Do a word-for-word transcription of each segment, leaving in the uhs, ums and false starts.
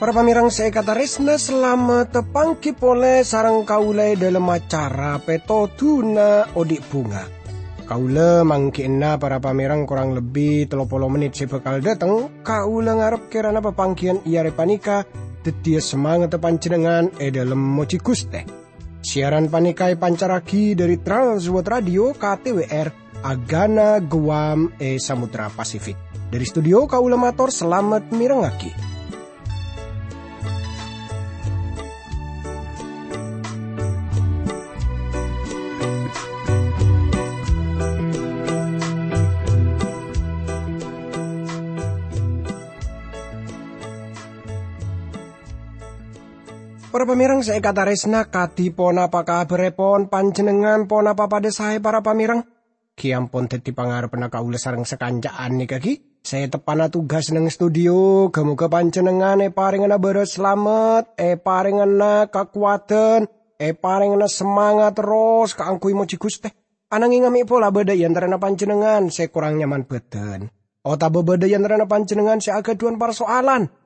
Para pamèrèng sè èkatarèsna, salamet panggi polè sareng kaulâ è dhâlem acara Pètodhuna Odi' Bhunga. Kaulâ mangghi'na para pamèrèng korang lebbi tello polo mennit sè bhâkal dâteng. Kaulâ ngarep kèrana papangghiyân è arè panèka dhâddhiyâ samangatta panjhennengngan è dhâlem mojhi Ghustè. Siaran panèka èpancarraghi dhâri Trans World Radio K T W R, Agana Guam è Samudra Pasifik. Dhâri studio kaulâ mator salamet mèrengngaghi. Para pamèrèng sè èkatarèsna, kadhi ponapa kabhârèpon panjhennengngan? Ponapa padhâ saè, para pamèrèng? Ghi ampon dhâddhi pangarebbhâ kaulâ sareng sakanca'an nèka ghi. Sè teppa'na tugas neng studio, ghâ-moghâ panjhennengngan èparèngana bârâs salamet, èparèngana kakowadhân, èparèngana samangat terros kaangghuy mojhi Ghustè. Anangèng amè' pola bâdâ è antarana panjhennengngan sè korang nyaman bhâdhân, otabâ bâdâ è antarana panjhennengngan sè aghâdhuwân parsoalan.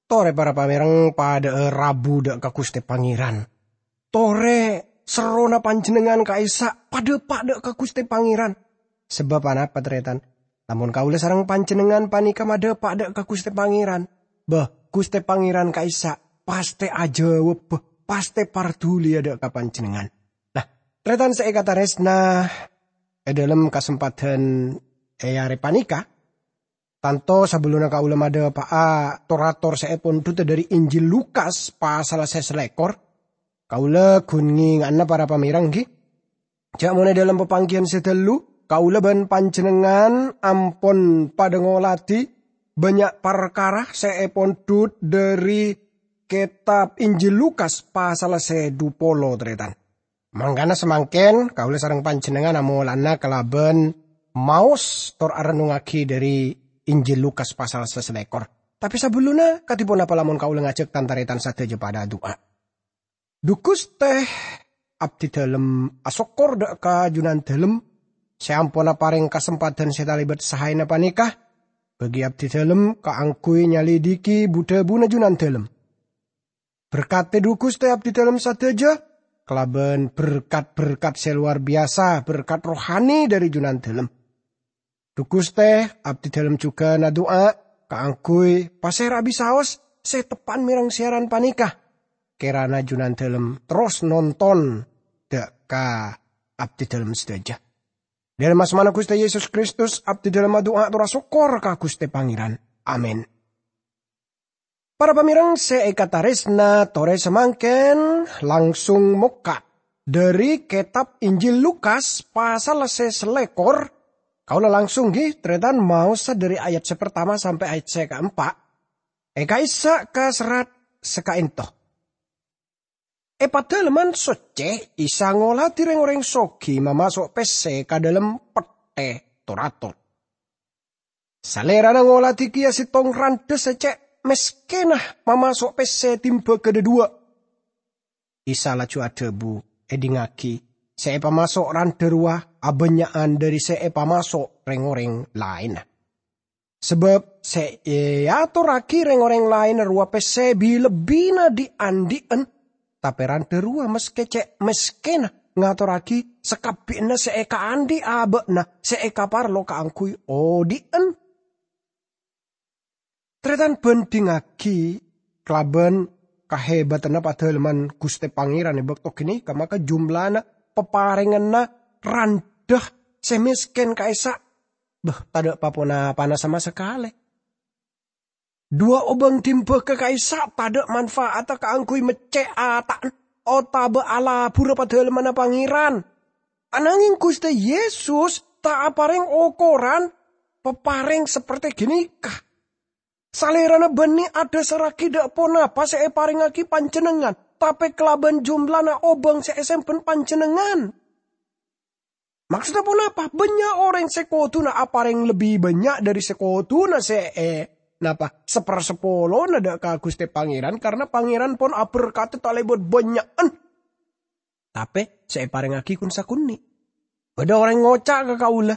Torè para pamèrèng padâ'â rabu dâ' ka Ghustè Pangèran. Torè serrona panjhennengngan ka'issa' padâpa' dâ' ka Ghustè Pangèran. Sabâb anapa, tarètan? Lamon kaulâ sareng panjhennengngan panèka madâpa' dâ' ka Ghustè Pangèran, bâh, Ghustè Pangèran ka'issa' pastè ajâwâbbhâ, pastè parduliyâ dâ' ka panjhennengngan. Nah, tarètan sè èkatarèsna, è dhâlem kasempadhân è arè panèka, Tanto sabellunna kaulâ madâpa'a tor-ator sè èpondhut dhâri Injil Lukas pasal sè salèkor, kaulâ ghun ngènga'ana para pamèrèng, ghi. Jhâ' mon è dhâlem papangghiyân sè dâllu, kaulâ bân panjhennengngan ampon padâ ngolatè bânnya' parkara sè èpondhut dhâri kètab Injil Lukas pasal sè dhu polo, tarètan. Mangkana samangkèn kaulâ sareng panjhennengngan amolana kalabân maos tor arennungngaghi dhâri Injil Lukas pasal sè salèkor. Tapè sabellunna, kadhi ponapa lamon kaulâ ngajhâk tan-tarètan sadhâjâ padâ adu'a? Dhu Ghustè, abdhi dhâlem asokkor dâ' ka Jhunandhâlem sè ampon aparèng kasempadhân sè talèbât saèna panèka. Bâgi abdhi dhâlem kaangghuy nyalidiki bu-dhâbuna Jhunandhâlem. Berkadhi, dhu Ghustè, abdhi dhâlem sadhâjâ kalabân berkat-berkat sè lowar biyasa, berkat rohani dhâri Jhunandhâlem. Dhu Ghustè, abdhi dhâlem jhughân adu'a kaangghuy pasèra bisaos sè teppa'na mèrèng siaran panèka. Kèrana Jhunandhâlem terros nonton dâ' ka abdhi dhâlem sadhâjâ. Dhâlem asmana Ghustè Yesus Kristus, abdhi dhâlem adu'a tor asokkor ka Ghustè Pangèran. Amin. Para pamèrèng sè èkatarèsna, torè samangkèn langsung mokka' dhâri kètab Injil Lukas pasal sè salèkor. Kaulâ langsung, ghi, tarètan, maosa dhâri ayat sè partama sampè' ayat sè kaempa'. È ka'issa' ka serrat sè ka'ènto. È Padâlemman Soccè, Isa ngolatè rèng-orèng soghi mamaso' pèssè ka dhâlem pettè tor-ator. Salèrana ngolatè kèya sèttong randhâ sè cè' mèskènna mamaso' pèssè timbâ kadhâdhuwâ. Isa laju adhâbu, "Èdingngaghi, sè èpamaso' randhâ rowa abânnya'an dhâri sè èpamaso' rèng-orèng laènna. Sabâb sè èatorraghi rèng-orèng laènna rowa pèssè bi-lebbina dhi'-andhi'ân, tapè randhâ rowa maskè cè' mèskènna ngatorraghi sakabbhiyanna sè èkaandhi' abâ'na sè èkaparlo kaangghuy odhi'ân." Tarètan, bhândhingngaghi kalabân kahèbâdhânna Padâlemman Ghustè Pangèran è bâkto ghânèka, maka jumlana paparènganna randhâ sè mèskèn ka'issa', bâh, tadâ' pa-ponapana sama sakalè. Duwâ' obâng dimbâghâ ka'issa' tadâ' manfaatta kaangghuy meccè' ata'na otabâ alaburâ Padâlemmanna Pangèran. Ananghèng Ghustè Yesus ta' aparèng okoran paparèng saperte ghânèka. Salèrana bânnè adhâsarraghi dâ' ponapa sè èparèngngaghi panjhennengngan, tapè kalabân jumlana obâng sè èsèmbhân panjhennengngan. Maksodda ponapa? Bânnya' orèng sè koduna aparèng lebbi bânnya' dhâri sè koduna sè è-, Napa? Saparsapolona dâ' ka Ghustè Pangèran, karna Pangèran pon aberkadhi talèbât bânnya'an. Tapè sè èparèngaghi kun-sakonè'. Bâdâ orèng ngoca' ka kaulâ,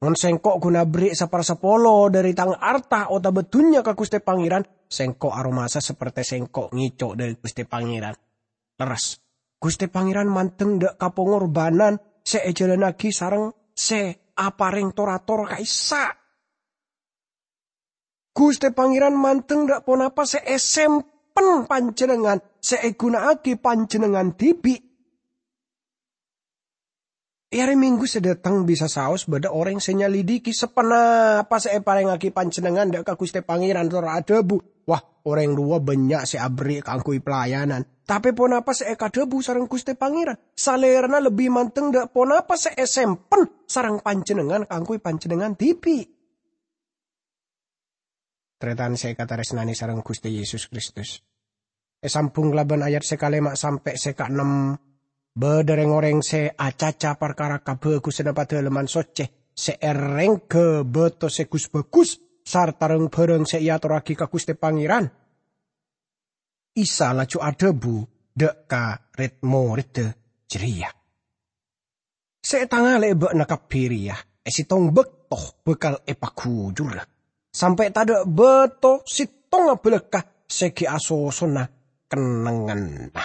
"Mon sèngko' ghun aberri' saparsapolo dâri tang arta otabâ dhunnya ka Ghustè Pangèran, sèngko' aromasa sapertè sèngko' ngèco' dâri Ghustè Pangèran." Lerres. Ghustè Pangèran mandeng dâ' ka pongorbhânan sè èjhâlânnaghi sareng sè aparèng tor-ator ka'issa'. Ghustè Pangèran mandeng dâ' ponapa sè èsempen panjhennengngan, sè èghuna'aghi panjhennengngan dhibi'. È arè Minggu sè dâteng bisa saos bâdâ orèng sè nyalidiki saponapa sè èparèngaghi panjhennengngan dâ' ka Ghustè Pangèran tor adhâbu, "Wah, orèng rowa bânnya' sè aberri' kaangghuy pelayanan. Tapè ponapa sè èkadhâbu sareng Ghustè Pangèran? Salèrana lebbi mandeng dâ' ponapa sè èsempen sareng panjhennengngan kaangghuy panjhennengngan dhibi'." Tarètan sè èkatarèsnanè sareng Ghustè Yesus Kristus. Èsambhung kalabân ayat sè kalèma' sampè' sè kaennem, bâdâ rèng-orèng sè acaca parkara kabhâghusânna Padâlemman Soccè sè èrèngghâ bâto sè gus-bhâghus sarta rang-bhârâng sè èatorraghi ka Ghustè Pangèran. Isa laju adhâbu dâ' ka red-moredda jârèya, "Sè ètangalè'è bâ'na kabbhi rèya è sèttong bâkto bhâkal èpaghujurrâ, sampè' tadâ' bâto sèttonga bâlâkka sè ghi' asosona kennengnganna."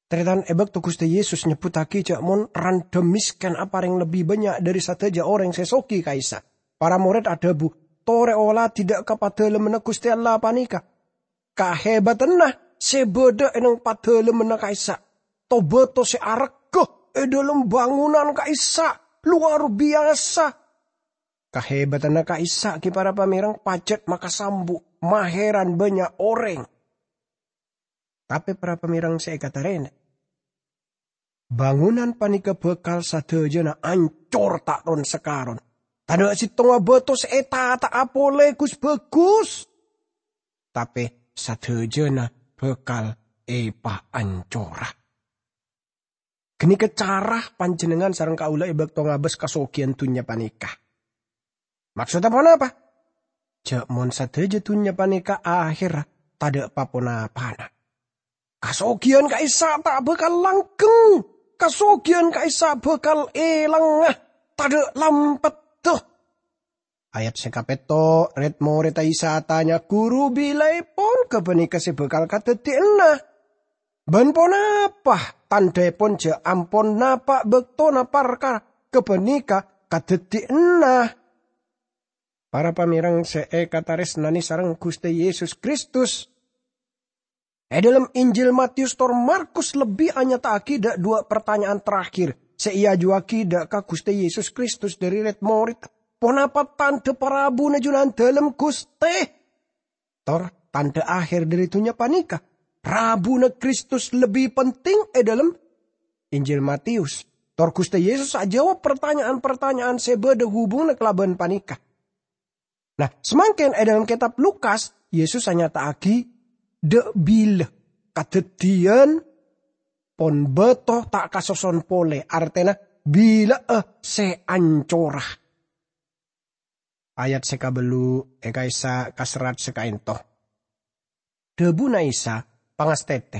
Tarètan, è bâkto Ghustè Yesus nyebbhuttaghi jâ' mon randhâ mèskèn aparèng lebbi bânnya' dâri sadhâjâ orèng sè soghi ka'issa', para morèd adhâbu, "Torè oladhi dâ' ka Padalemmanna Ghustè Allah panèka. Kahèbatanna sè bâdâ è neng Padalemmanna ka'issa', to-bâto sè arèghâ è dâlem bângonan ka'issa', lowar biyasa. Kahèbatanna ka'issa' ghi' para pamèreng pajhât makasambu, mahèran bânnya' orèng." Tapè para pamèreng sè èkatarèna, bângonan panèka bhâkal sadhâjâna ancor ta' ron-sakaron. Tadâ' sèttonga bâto sè ètata'a polè gus-bhâghus, tapè sadhâjâna bhâkal èpaancora. Ghânèka cara panjhennengngan sareng kaulâ è bâkto ngabâs kasoghiyân dhunnya panèka. Maksodda ponapa? Jâ' mon sadhâjâ dhunnya panèka ahèrra, tadâ' pa-ponapana. Kasoghiyân ka'issa' ta' bhâkal langgheng. Kasoghiyân ka'issa' bhâkal èlangnga, tadâ' lampetta. Ayat sè kapètto', red-moredda Isa atanya, "Ghuru, bilâèpon ghâpanèka sè bhâkal kadhâddhiyânna? Bân ponapa tandhâèpon jâ' ampon napa' bâktona parkara ghâpanèka kadhâddhiyânna?" Para pamèreng sè èkatarèsnanè sareng Ghustè Yesus Kristus, è dâlem Injil Matius tor Markus lebbi anyata'aghi dâ' duwâ' partanya'an terakhir sè èajuwâghi dâ' ka Ghustè Yesus Kristus dâri red-moredda, "Ponapa tandhâ parabuna Junandalem, Ghustè? Tor tandhâ ahèr dâri dhunnya panèka?" Rabuna Kristus lebbi penting è dâlem Injil Matius. Tor Ghustè Yesus ajâwâb partanya'an-partanya'an sè bâdâ hubunganna kalabân panèka. Nah, samangkèn è dâlem kètab Lukas, Yesus anyata'aghi dâ' bilâ kadhâddhiyân pon bâto ta' kasoson polè, artèna bilâ'â sè ancora. Ayat sè kabellu' è ka'issa' ka serrat sè ka'ènto. Dhâbuna Isa, "Pangastètè,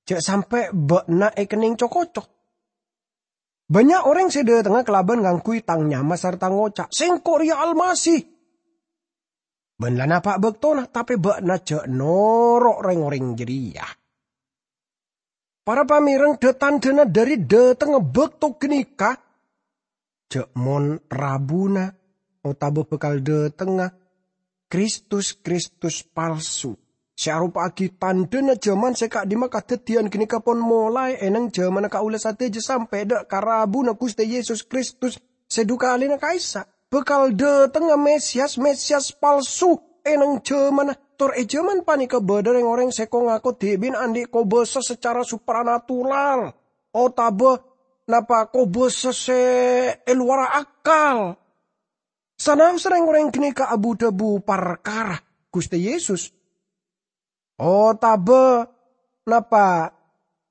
jâ' sampè' bâ'na èkennèng co-koco. Bânnya' orèng sè dâtengnga kalabân ngangghuy Tang nyama sarta ngoca', 'Sèngko' rèya Almasih.' Bân la napa' bâktona, tapè bâ'na jâ' noro' rèng-orèng jârèya." Para pamèreng, dhâ-tandhâna dâri dâtengnga bâkto ghânèka, jâ' mon rabuna otabâ bhâkal dâtengnga Kristus-Kristus palsu sè aropa'aghi tandhâna jhâman sè ka'dimma kadhâddhiyân ghânèka pon molaè è neng jhâmanna kaulâ sadhâjâ sampè' dâ' ka rabuna Ghustè Yesus Kristus sè dhu kalèna ka'issa'. Bhâkal dâtengnga Mesiyas-Mesiyas palsu è neng jhâmanna, tor è jhâman panèka bâdâ rèng-orèng sè ko-ngako dhibi'na andi' kobâsa sacara supranatural otabâ napa kobâsa sè è lowarra akal. Sanaossa rèng-orèng ghânèka abu-dhâbu parkara Ghustè Yesus, otabâ napa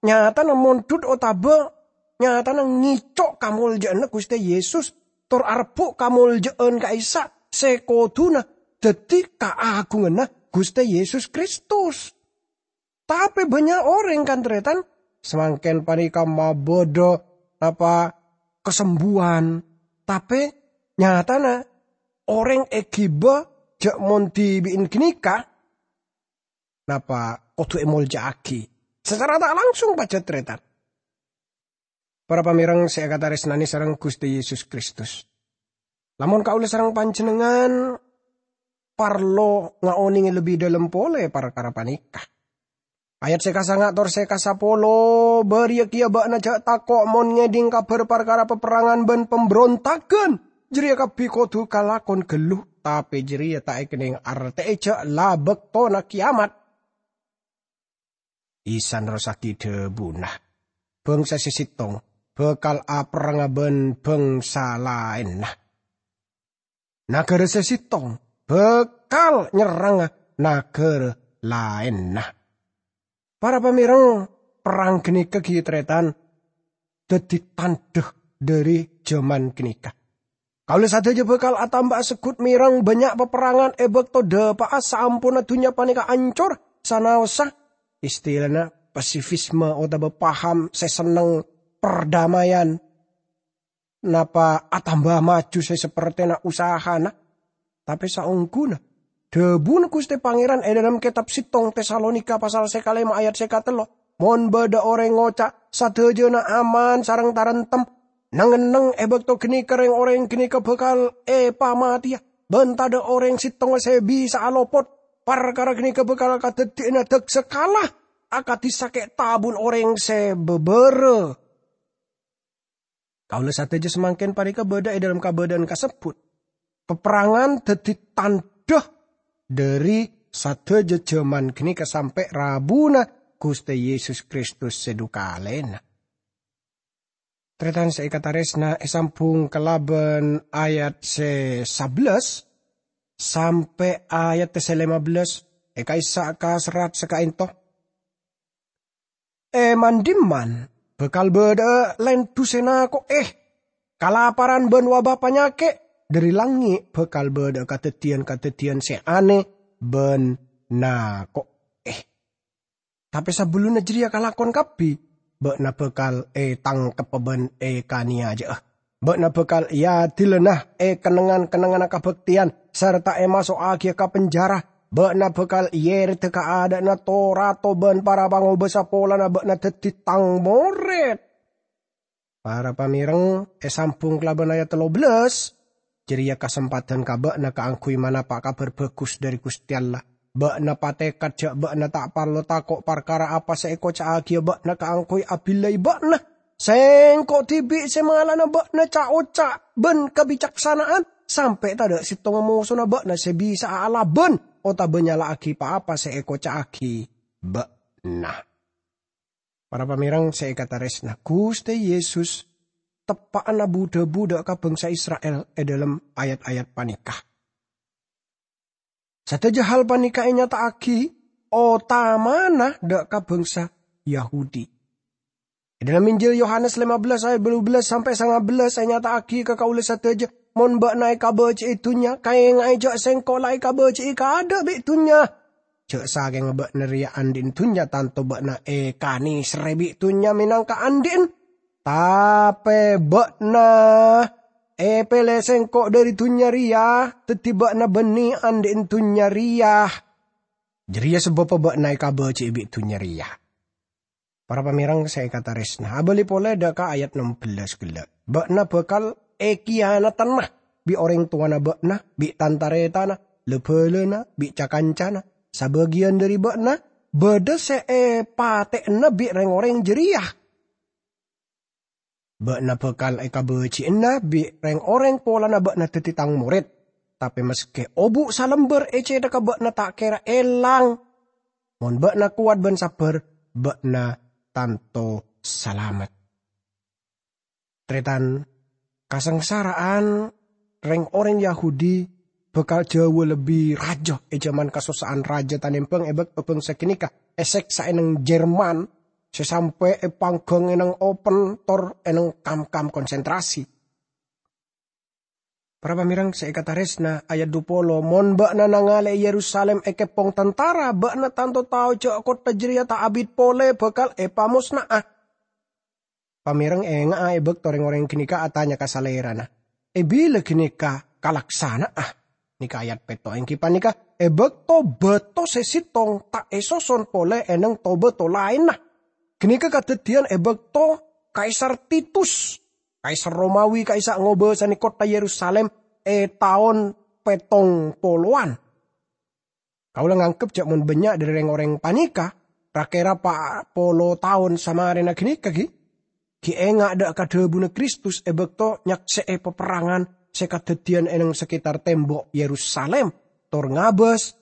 nyatana mondhut otabâ nyatana ngèco' kamoljâ'ânna Ghustè Yesus, tor arebbhu' kamoljâ'ân ka'issa' sè kodhuna dhâddhi kaagunganna Ghustè Yesus Kristus. Tapè bânnya' orèng, kan-tarètan, samangkèn panèka mabâdâ napa kasembuwân, tapè nyatana orèng èghibâ jhâ' mon dhibi'en ghânèka napa kodhu èmoljâ'aghi sacara ta' langsung, pajhât tarètan. Para pamèreng sè èkatarèsnanè sareng Ghustè Yesus Kristus, lamon kaulâ sareng panjhennengngan parlo ngaonèngè lebbi dhâlem polè parkara panèka. Ayat sè kasanga' tor sè kasapolo, "Bâriyâ kèya bâ'na jhâ' tako' mon ngèdhing kabhâr parkara paperrangan bân pambrontagan. Jârèya kabbhi kodhu kalakon ghâllu, tapè jârèya ta' èkennèng artè'è jhâ' la bâktona kèyamat." Isa nerrossaghi dhâbuna, "Bângsa sè sèttong bhâkal aperrangnga bân bângsa laènna. Naghârâ sè sèttong bhâkal nyerrangnga naghârâ laènna." Para pamèreng, perrang ghânèka ghi' tarètan dhâddhi tandhâ dhâri jhâman ghânèka. Kaulâ sadhâjâ bhâkal atamba'a segghut mèreng bânnya' paperrangan è bâkto dhâpa'a saamponna dhunnya panèka ancor, sanaossa istilana pasifisme otabâ paham sè senneng perdamaian napa atamba maju sè sapertèna usahana. Tapè saongghuna, dhâbuna Ghustè Pangèran è dhâlem kètab sèttong Tesalonika pasal sè kalèma ayat sè katello, "Mon bâdâ orèng ngoca', 'Sadhâjâna aman sareng taremtem,' neng-enneng è bâkto ghânèka rèng-orèng ghânèka bhâkal èpamatèya, bân tadâ' orèng sèttonga sè bisa'a lopot. Parkara ghânèka bhâkal kadhâddhiyâna dâk-sakala akadhi sakè' tabun orèng sè bâbârâ.'" Kaulâ sadhâjâ samangkèn panèka bâdâ è dhâlem kabâdâ'ân kasebbhut. Paperrangan dhâddhi tandhâ dhâri sadhâjâ jhâman ghânèka sampè' rabuna Ghustè Yesus Kristus sè dhu kalèna. Tarètan sè èkatarèsna èsambhung kalabân ayat sè sabellâs sampè' ayat sè lèma bellâs è ka'issa' ka serrat sè ka'ènto. È man-dimman bhâkal bâdâ'â lèndhu sè nako'è, kalaparan bân wabâ panyakè', dhâri langngè' bhâkal bâdâ'â kadhâddhiyân-kadhâddhiyân sè anè bân nako'è. Tapè sabellunna jârèya kalakon kabbhi, bâ'na bhâkal ètangkebbhâ bân èkanèyaja'a. Bâ'na bhâkal èadilana è kennengngan-kennengnganna kabhâktèyan, sarta èmaso'aghiyâ ka penjara. Bâ'na bhâkal èyèrèdhâ ka adâ'na to-rato bân para pangobâsa polana bâ'na dhâddhi Tang morèd. Para pamèreng, èsambhung kalabân ayat tello bellâs, jârèya kasempadhân ka bâ'na kaangghuy manapa' Kabhâr Bhâghus dhâri Ghustè Allah. Bâ'na patèkad jhâ' bâ'na ta' parlo tako' parkara apa sè èkoca'aghiyâ bâ'na kaangghuy abillai bâ'na. Sèngko' dhibi' sè malana bâ'na ca'-oca' bân kabicaksana'an, sampè' tadâ' sèttonga mosona bâ'na sè bisa'a alabân otabâ nyala'aghi pa-apa sè èkoca'aghi bâ'na. Para pamèreng sè èkatarèsna, Ghustè Yesus teppa'na bu-dhâbu dâ' ka bângsa Isra'il è dhâlem ayat-ayat panèka. Sadhâjâ hal panèka ènyata'aghi otamana dâ' ka bângsa Yahudi. È dhâlem Injil Yohanes lèma bellâs ayat bâllu bellâs sampè' sanga bellâs ènyata'aghi ka kaulâ sadhâjâ, "Mon bâ'na èkabâji'i dhunnya, kaènga'è jhâ' Sèngko' la èkabâji'i kaadâ' bi' dhunnya. Jhâ' sakènga bâ'na rèya andi'na dhunnya, tanto bâ'na èkanèserrè bi' dhunnya mènangka andi'na. Tapè bâ'na èpèlè Sèngko' dhâri dhunnya rèya, dhâddhi bâ'na bânnè andi'na dhunnya rèya. Jârèya sabâbbhâ bâ'na èkabâji'i bi' dhunnya rèya." Para pamèreng sè èkatarèsna, abâli polè dâ' ka ayat nem bellâs ghellâ'. "Bâ'na bhâkal èkiyanatana bi' orèng towana bâ'na, bi' tan-tarètanna, la-bhâlâna, bi' ca-kancana. Sabâgiyân dhâri bâ'na bâdâ sè èpatè'ana bi' rèng-orèng jârèya. Bâ'na bhâkal èkabâji'ana bi' rèng-orèng polana bâ'na dhâddhi Tang morèd. Tapè maskè obu' salembâr è cèthagghâ bâ'na ta' kèra èlang. Mon bâ'na kowat bân sabbhâr, bâ'na tanto salamet." Tarètan, kasangsara'an rèng-orèng Yahudi bhâkal jhâuwâ lebbi rajâ è jhâman kasossa'an rajâ tanèmbhâng è bâkto bângsa ghânèka èsèksa è neng Jerman, sè sampè' èpangghâng è neng open tor è neng kam-kam konsentrasi. Para pamèreng sè èkatarèsna, ayat dhu polo, "Mon bâ'na nangalè'è Yerusalim èkèpong tantara, bâ'na tanto tao jâ' kottha jârèya ta' abit polè bhâkal èpamosna'a." Pamèreng ènga'a è bâkto rèng-orèng ghânèka atanya ka salèrana, "È bilâ ghânèka kalaksana'a?" Nèka ayat pètto', èngghi panèka è bâkto bâto sè sèttong ta' èsoson polè è neng to-bâto laènna. Ghânèka kadhâddhiyân è bâkto Kaisar Titus, Kaisar Romawi ka'issa' ngobâsane kottha Yerusalim è taon pèttong polowan. Kaula nganggep jâ' mon bânnya' dhâri rèng-orèng panèka, ra-kèra pa' polo taon samarèna ghânèka, ghi? Ghi' enga' dâ' ka dhâbuna Kristus è bâkto nyaksè'è paperrangan sè kadhâddhiyân è neng saketar tembok Yerusalim, tor ngabâs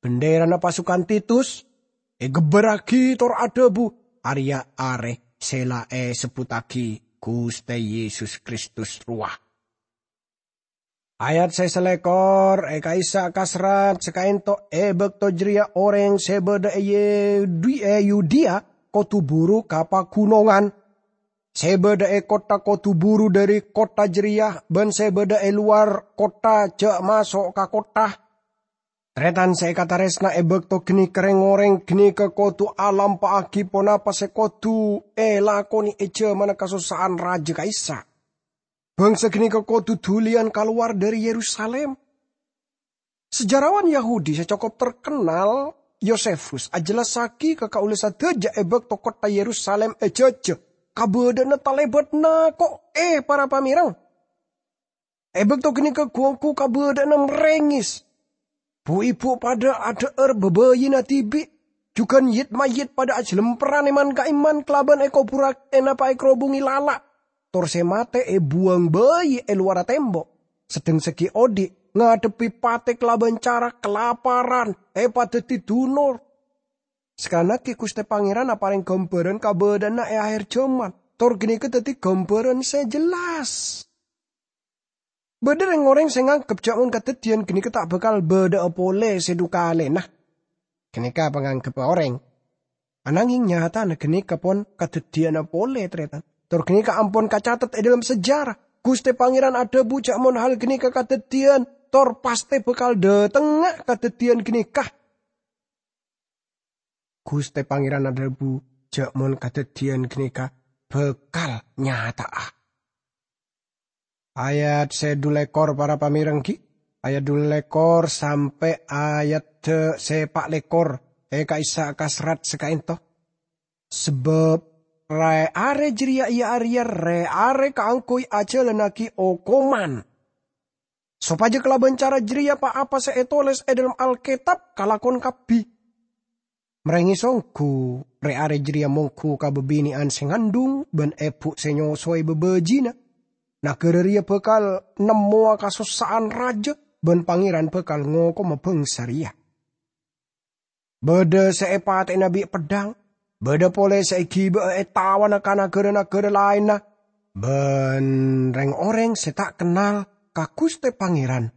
bendherana pasukan Titus, ègebbhârraghi tor adhâbu, "Arèya arè sè la èsebbhuttaghi Ghustè Yesus Kristus rowa." Ayat sè salèkor, è ka'issa' ka serrat sakaento', è bâkto jârèya orèng sè bâdâ è Yudi-, è Yudea kodu buru ka paghunongan. Sè bâdâ è kottha kodu buru dhâri kottha jârèya, bân sè bâdâ è lowar kottha jâ' maso' ka kottha. Tarètan sè èkatarèsna, è bâkto ghânèka rèng-orèng ghânèka kodu alampa'aghi ponapa sè kodu èlakonè è jhâmanna kasossa'an rajâ ka'issa'. Bhângsa ghânèka kodu dhuliyân kalowar dhâri Yerusalim. Sejarawan Yahudi sè cokop terkenal, Yosefus, ajhellassaghi ka kaula sadhâjâ è bâkto kottha Yerusalim èjhâjhâ, kabâdâ'ânna talèbât nako'è para pamèreng. È bâkto ghânèka ghu-ongghu kabâdâ'ânna marèngès. Bu-ibu padâ adhâ'âr bâbâyina dhibi', jhughân yit-mayyit padâ ajhâlemperrâ è man-ka'imman kalabân èkoburrâ-, ènapa èkarobhungè lala', tor sè matè èbuwâng bâi è lowarra tembok, sedheng sè ghi' odhi' ngadhebbhi patè kalabân cara kalaparan, èpadhâddhi dunor. Sakalangngaghi Ghustè Pangèran aparèng ghâmbhârân kabâdâ'ânna è akhèr jhâman, tor ghânèka dhâddhi ghâmbhârân sè jellas. Bâdâ rèng-orèng sè nganggep jâ' mon kadhâddhiyân ghânèka ta' bhâkal bâdâ'â polè sè dhu kalèna. Ghânèka panganggebbhâ orèng. Ananghing nyatana ghânèka pon kadhâddhiyânna polè, tarètan. Tor ghânèka ampon kacatet è dhâlem sejarah. Ghustè Pangèran adhâbu jâ' mon hal ghânèka kadhâddhiyân, tor pastè bhâkal dhâtengnga kadhâddhiyân ghânèka. Ghustè Pangèran adhâbu jâ' mon kadhâddhiyân ghânèka bhâkal nyata'a. Ayat sè dhu lèkor, para pamèreng, ghi, ayat dhu lèkor sampè' ayat sè pa' lèkor è ka'issa' ka serrat sakaento. Sabâb rè-arè jârèya iyâ arèya rè-arè kaangghuy ajhâlannaghi okoman, sopajâ kalabân cara jârèya pa-apa sè ètolès è dhâlem Alkètab kalakon kabbhi. Marèngès ongghu, rè-arè jârèya mongghu ka bâbinè'an sè ngandhung bân èbhu sè nyosoè bâbâjina. Naghârâ rèya bhâkal nemmowa kasossa'an rajâ, bân Pangèran bhâkal ngokoma bhângsa rèya. Bâdâ sè èpatè'ana bi' peddhâng, bâdâ polè sè èghibâ'â ètawana ka naghârâ-naghârâ laènna, bân rèng-orèng sè ta' kennal ka Ghustè Pangèran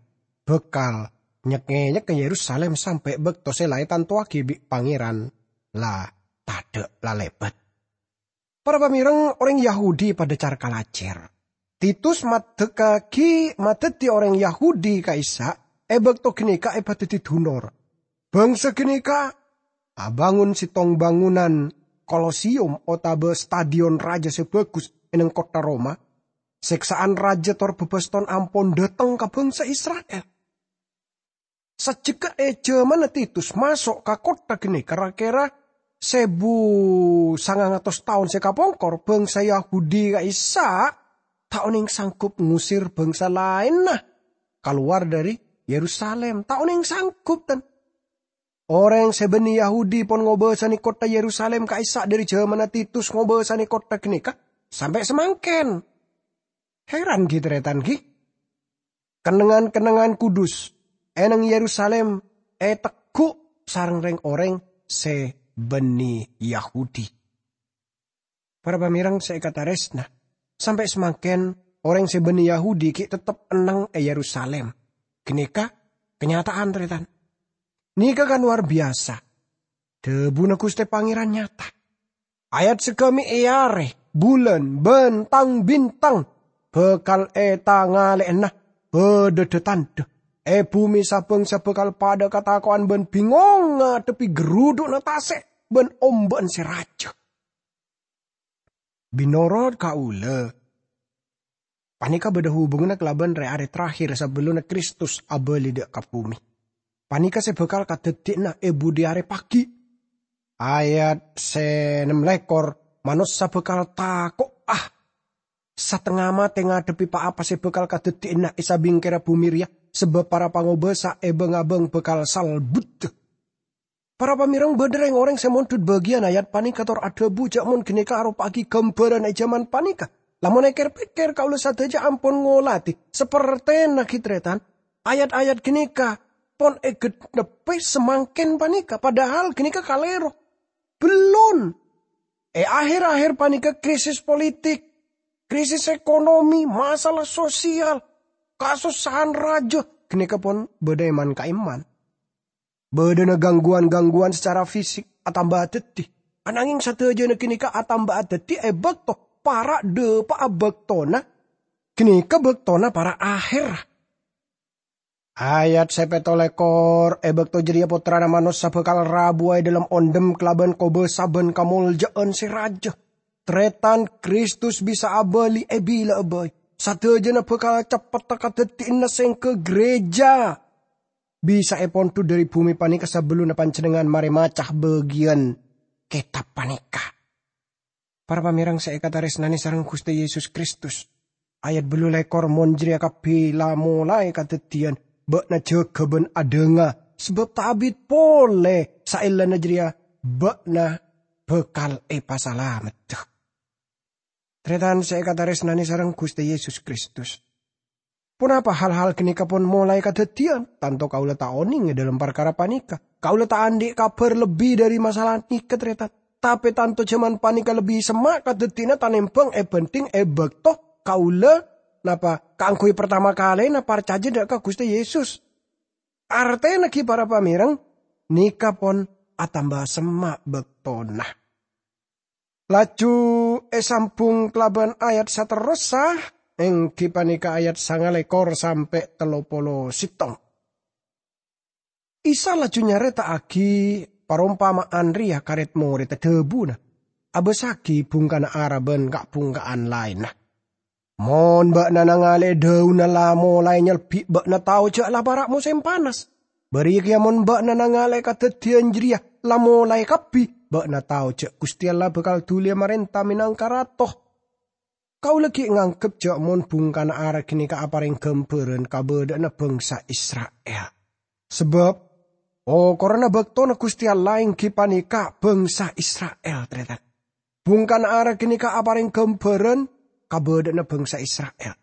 bhâkal nyek-ngènyek ka Yerusalim sampè' bâkto sè la ètantowaghi bi' Pangèran la tadâ' lalèbât. Para pamèreng, orèng Yahudi padâ car-kalajâr. Titus maddhekkaghi madhâddhi orèng Yahudi ka'issa' è bâkto ghânèka èpadhâddhi dunor. Bhângsa ghânèka abângon sèttong bângonan Kolosium otabâ stadion rajâ sè bhâghus è neng kottha Roma. Sèksa'an rajâ tor bâbâston ampon dhâteng ka bhângsa Isra'il. Sajjhegghâ è jhâmanna Titus maso' ka kottha ghânèka, ra-kèra sèbu sangang atos taon sè kapongkor, bhângsa Yahudi ka'issa' ta' onèng sanggup ngusir bhângsa laènna kalowar dhâri Yerusalim. Ta' onèng sanggup, tan. Orèng sè bânnè Yahudi pon ngobâsanè kottha Yerusalim ka'issa' dhâri jhâmanna Titus ngobâsanè kottha ghânèka sampè' samangkèn. Heran, ghi, tarètan, ghi? Kennengngan-kennengngan kudus è neng Yerusalim ètegghu' sareng rèng-orèng sè bânnè Yahudi. Para pamèreng sè èkatarèsna, sampè' samangkèn orèng sè bânnè Yahudi ghi' tettep enneng è Yerusalim. Ghânèka kanyata'an, tarètan. Nèka kan lowar biyasa. Dhâbuna Ghustè Pangèran nyata. Ayat saghâmè' è arè, bulân, bân tang-bintang bhâkal ètangalè'ana. Bâdâ dhâ-tandhâ è bhumè sa-bhângsa bhâkal padâ katako'an bân bingong ngadhebbhi gherudhu'na tasè' bân ombâ'na sè rajâ. Mènorot kaulâ, panèka bâdâ hubunganna kalabân rè-arè terakhir sabellunna Kristus abâli dâ' ka bhumè. Panèka sè bhâkal kadhâddhiyâna è budi arè paghi'. Ayat sè nem lèkor, manossa bhâkal tako'a, satengnga matè ngadhebbhi pa-apa sè bhâkal kadhâddhiyâna è sabingkèrra bhumè rèya, sabâb para pangobâsa è bâng-abâng bhâkal salbuddhâ. Para pamèreng, bâdâ rèng-orèng sè mondhut bâgiyân ayat panèka tor adhâbu jâ' mon ghânèka aropa'aghi ghâmbhârân è jhâman panèka. Lamon èkèr-pèkkèr, kaulâ sadhâjâ ampon ngolatè, sapertèna ghi' tarètan, ayat-ayat ghânèka pon èghânebbhi samangkèn panèka, padahal ghânèka kalèro. Bellun. È akhèr-akhèr panèka krisis politik, krisis ekonomi, masalah sosial, kasossa'an rajâ, ghânèka pon bâdâ è man-ka'imman. Bâdâna gangguwan-gangguwan sacara fisik atamba dhâddhi, ananghing sadhâjâna ghânèka atamba dhâddhi è bâkto para' dâpa'a bâktona, ghânèka bâktona para' akhèrra. Ayat sè pètto lèkor, è bâkto jârèya Pottrana Manossa bhâkal rabuwâ è dâlem ondhem kalabân kobâsa bân kamoljâ'ân sè rajâ. Tarètan, Kristus bisa abâli è bila'a bhâi. Sadhâjâna bhâkal ceppetta kadhâddhiyânna sèngghâ ghârèjâ bisa èpondhut dâri bhumè panèka sabellunna panjhennengngan marè maca bâgiyân kètab panèka. Para pamèreng sè èkatarèsnanè sareng Ghustè Yesus Kristus, ayat bâllu lèkor, "Mon jârèya kabbhi la molaè kadhâddhiyân, bâ'na jâgâ bân adhânga, sabâb ta' abit polè saellana jârèya bâ'na bhâkal èpasalameddhâ." Tarètan sè èkatarèsnanè sareng Ghustè Yesus Kristus, ponapa hal-hal ghânèka pon molaè kadhâddhiyân? Tanto kaulâ ta' onèng è dâlem parkara panèka. Kaulâ ta' andi' kabhâr lebbi dâri masalah nèka, tarètan. Tapè tanto jhâman panèka lebbi semma' kadhâddhiyânna tanèmbhâng èbhânḍhing è bâkto kaulâ, napa, kaangghuy partama kalèna parcajâ dâ' ka Ghustè Yesus. Artèna ghi, para pamèreng, nèka pon atamba semma' bâktona. Laju èsambhung kalabân ayat saterrossa, èngghi panèka ayat sangalèkor sampè' tello polo sèttong. Isa laju nyarèta'aghi parompama'an rèya ka rèd-morèdda, dhâbuna, "Abâssaghi bhungkana ara bân ka'-bhungka'an laènna. Mon bâ'na nangalè'è dhâunna la molaè nyelbi', bâ'na tao jâ' la para' mosèm panas. Bâriyâ kèya mon bâ'na nangalè'è kadhâddhiyân jârèya la molaè kabbhi, bâ'na tao jâ' Ghustè Allah bhâkal dhuliyâ marènta mènangka Rato." Kaulâ ghi' nganggep jâ' mon bhungkana ara ghânèka aparèng ghâmbhârân kabâdâ'ânna bhângsa Isra'il. Sabâb okoranna bâktona Ghustè Allah èngghi panèka bhângsa Isra'il, tarètan. Bhungkana ara ghânèka aparèng ghâmbhârân kabâdâ'ânna bhângsa Isra'il.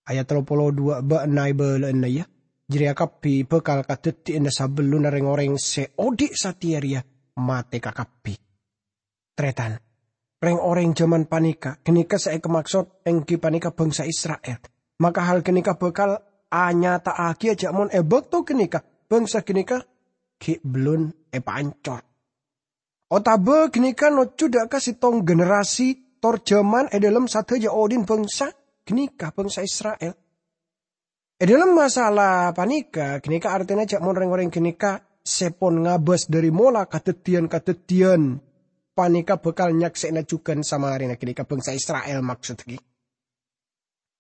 Ayat tello polo duwâ', "Bâ'na èbâlâ'âna, yâ, jârèya kabbhi bhâkal kadhâddhiyânna sabellunna rèng-orèng sè odi' satèya rèya matè kakabbhi." Tarètan, rèng-orèng jhâman panèka, ghânèka sè èkamaksod èngghi panèka bhângsa Isra'il. Maka hal ghânèka bhâkal anyata'aghiyâ jâ' mon è bâkto ghânèka bhângsa ghânèka ghi' bellun èpaancor. Otabâ ghânèka nojjhu dâ' ka sèttong generasi tor jhâman è dâlem sadhâjâ odi'na bhângsa ghânèka, bhângsa Isra'il. È dâlem masalah panèka, ghânèka artèna jâ' mon rèng-orèng ghânèka sè pon ngabâs dâri mola kadhâddhiyân-kadhâddhiyân panèka bhâkal nyaksè'ana jhughân samarèna ghânèka bhângsa Isra'il, maksod ghi.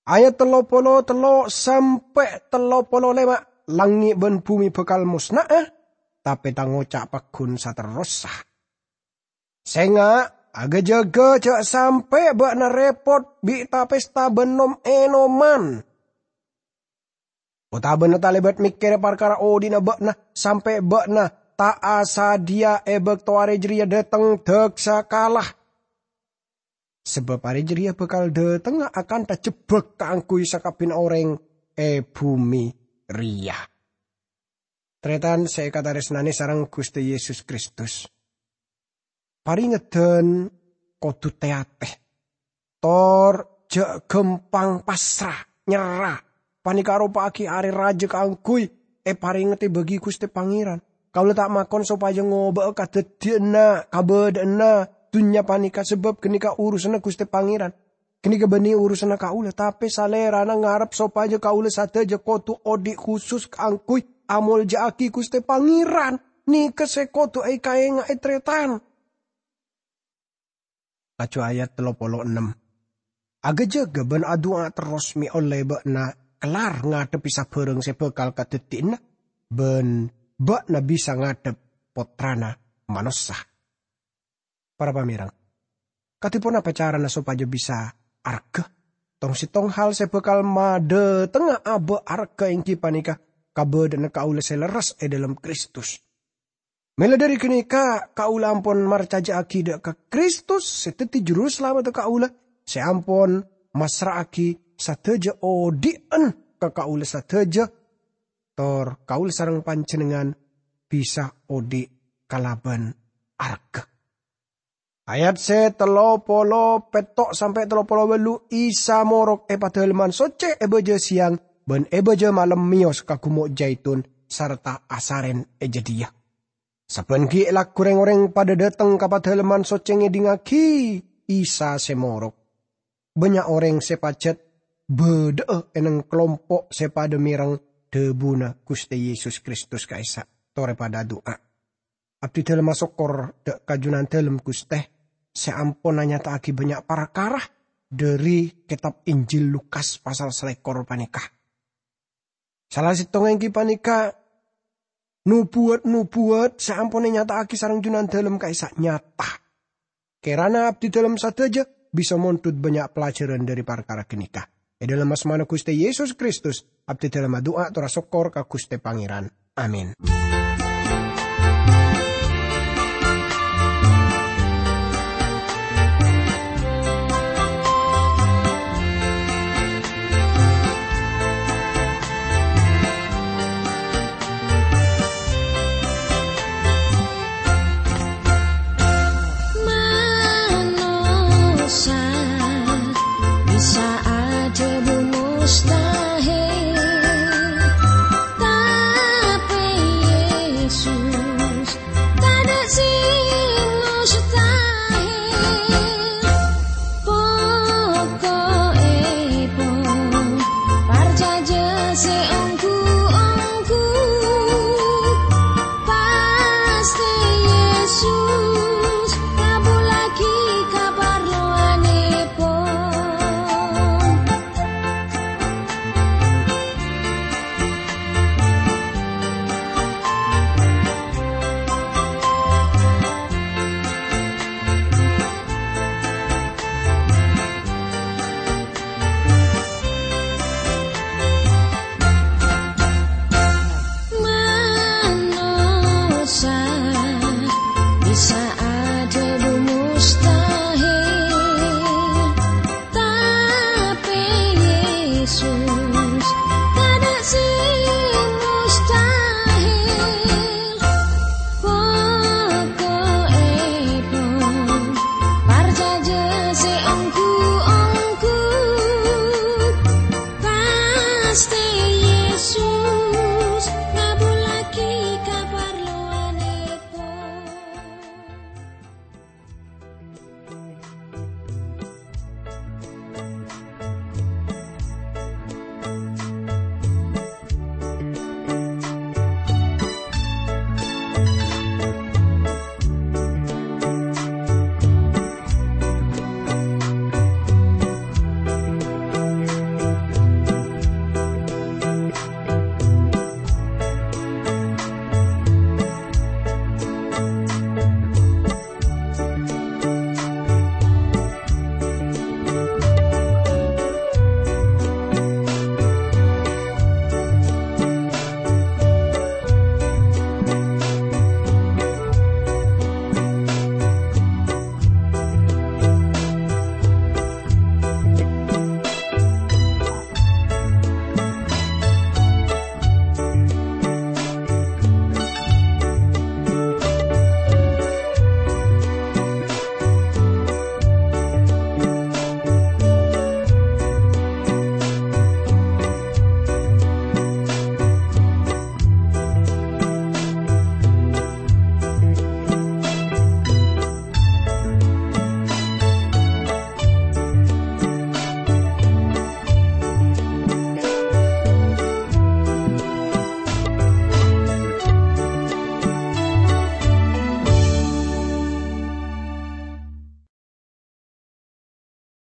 Ayat tello polo tello' sampè' tello polo lèma', "Langngè' bân bhumè bhâkal mosna'a, tapè Tang oca' pagghun saterrossa. Sènga', aghâjâghâ jâ' sampè' bâ'na rèpot bi' ta-pèsta bân nom-ènoman, otabâna talèbât mèkkèrè parkara odi'na bâ'na, sampè' bâ'na ta' asadhiyâ è bâkto arè jârèya dâteng dâksa kala. Sabâb arè jârèya bhâkal dâtengnga akantha jhebbhâk kaangghuy sakabbhiyânna orèng è bhumè rèya." Tarètan sè èkatarèsnanè sareng Ghustè Yesus Kristus, parèngeddhân kodhu tè-atè, tor jâ' ghâmpang pasra, nyerra. Panèka aropa'aghi arè rajâ kaangghuy èparèngedhâ bâgi Ghustè Pangèran. Kaulâ ta' makon sopajâ ngobâ'â kadhâddhiyânna kabâdâ'ânna dhunnya panèka, sabâb ghânèka urusanna Ghustè Pangèran. Ghânèka bânnè urusanna kaulâ, tapè Salèrana ngarep sopajâ kaulâ sadhâjâ kodhu odi' khusus kaangghuy amolja'aghi Ghustè Pangèran. Nèka sè kodhu èkaènga'è, tarètan. Laju ayat tello polo ennem. Aghâjâghâ bân adu'a terros mè' ollè bâ'na kellar ngadhebbhi sabârâng sè bhâkal kadhâddhiyâna, bân bâ'na bisa ngadhep Pottrana Manossa. Para pamèreng, kadhi ponapa carana sopajâ bisa arghâ? Tong-settong hal sè bhâkal madhâtengnga abâ' arghâ èngghi panèka kabâdâ'ânna kaulâ sè lerres è dhâlem Kristus. Mèla dhâri ghânèka, kaulâ ampon marcajâ'aghi dhâ' ka Kristus sè dhâddhi Juru Salameddhâ kaulâ, sè ampon massra'aghi sadhâjâ odi'ân ka kaulâ sadhâjâ, tor kaulâ sareng panjhennengngan bisa odi' kalabân arghâ. Ayat sè tello polo pètto' sampè' tello polo bâllu', Isa morok è Padâlemman Soccè è bâjâ sèyang bân è bâjâ malem mèyos ka Gumo' Jaitun sarta asarèn è jâdiyâ. Sabbhân ghi' lagghu rèng-orèng padâ dhâteng ka Padâlemman Soccè ngèdingngaghi Isa sè morok. Bânnya' orèng sè pajhât bâdâ'â è neng-kalompo' sè padâ mèreng dhâbuna Ghustè Yesus Kristus ka'issa', torè padâ adu'a. Abdidâlem asokkor dhâ' ka Junandâlem Ghustè sè ampon anyata'aghi bânnya' parkara dhâri kètab Injil Lukas pasal salèkor panèka. Sala sèttongnga èngghi panèka nobuwat-nobuwat sè ampon ènyata'aghi sareng Junandâlem ka'issa' nyata. Kèrana abdidâlem sadhâjâ bisa mondhut bânnya' pelajaran dhâri parkara ghânèka. È dhâlem asmana Ghustè Yesus Kristus, abdidâlem adu'a tor asokkor ka Ghustè Pangèran. Amin. Manossa bisa adhâbu mustahil, tapè Yesus tadâ' sè mustahil. Poko'èpon, parcajâ sè ongghu-ongghu, pastè Yesus ngabhullaghi kaparlowanèpon. Manossa bisa